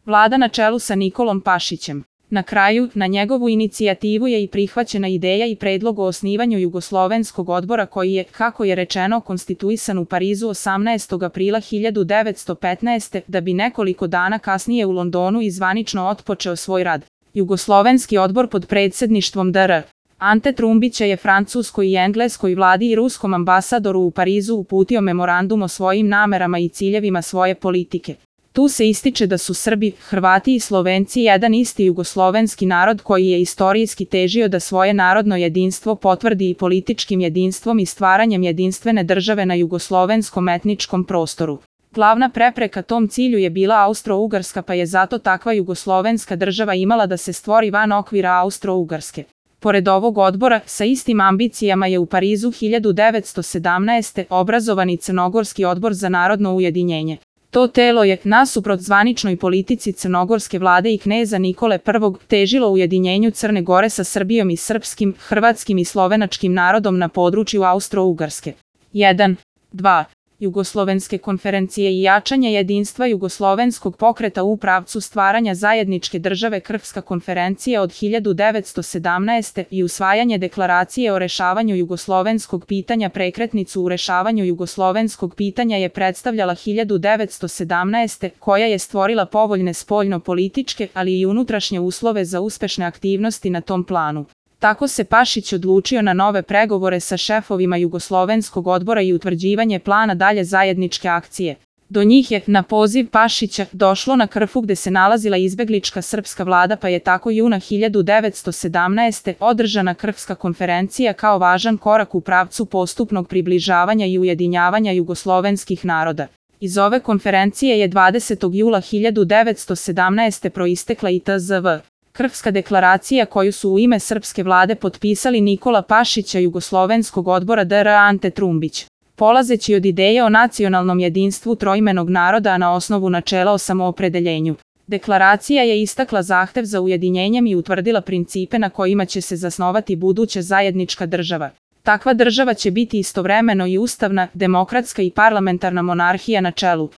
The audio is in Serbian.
Vlada na čelu sa Nikolom Pašićem. Na kraju, na njegovu inicijativu je i prihvaćena ideja i predlog o osnivanju Jugoslovenskog odbora koji je, kako je rečeno, konstituisan u Parizu 18. aprila 1915. da bi nekoliko dana kasnije u Londonu i zvanično otpočeo svoj rad. Jugoslovenski odbor pod predsjedništvom dr. Ante Trumbića je francuskoj i engleskoj vladi i ruskom ambasadoru u Parizu uputio memorandum o svojim namerama i ciljevima svoje politike. Tu se ističe da su Srbi, Hrvati i Slovenci jedan isti jugoslovenski narod koji je istorijski težio da svoje narodno jedinstvo potvrdi i političkim jedinstvom i stvaranjem jedinstvene države na jugoslovenskom etničkom prostoru. Glavna prepreka tom cilju je bila Austro-Ugarska, pa je zato takva jugoslovenska država imala da se stvori van okvira Austro-Ugarske. Pored ovog odbora, sa istim ambicijama je u Parizu 1917. obrazovan i Crnogorski odbor za narodno ujedinjenje. To telo je, nasuprot zvaničnoj politici crnogorske vlade i kneza Nikole I, težilo ujedinjenju Crne Gore sa Srbijom i srpskim, hrvatskim i slovenačkim narodom na području Austro-Ugarske. 1. 2. Jugoslovenske konferencije i jačanje jedinstva jugoslovenskog pokreta u pravcu stvaranja zajedničke države. Krfska konferencija od 1917. i usvajanje deklaracije o rešavanju jugoslovenskog pitanja. Prekretnicu u rešavanju jugoslovenskog pitanja je predstavljala 1917. koja je stvorila povoljne spoljno-političke, ali i unutrašnje uslove za uspešne aktivnosti na tom planu. Tako se Pašić odlučio na nove pregovore sa šefovima Jugoslovenskog odbora i utvrđivanje plana dalje zajedničke akcije. Do njih je, na poziv Pašića, došlo na Krfu gde se nalazila izbeglička srpska vlada, pa je tako juna 1917. održana Krfska konferencija kao važan korak u pravcu postupnog približavanja i ujedinjavanja jugoslovenskih naroda. Iz ove konferencije je 20. jula 1917. proistekla i tzv. Krfska deklaracija koju su u ime srpske vlade potpisali Nikola Pašić i Jugoslovenskog odbora dr. Ante Trumbić. Polazeći od ideje o nacionalnom jedinstvu troimenog naroda, a na osnovu načela o samoopredeljenju. Deklaracija je istakla zahtev za ujedinjenjem i utvrdila principe na kojima će se zasnovati buduća zajednička država. Takva država će biti istovremeno i ustavna, demokratska i parlamentarna monarhija na čelu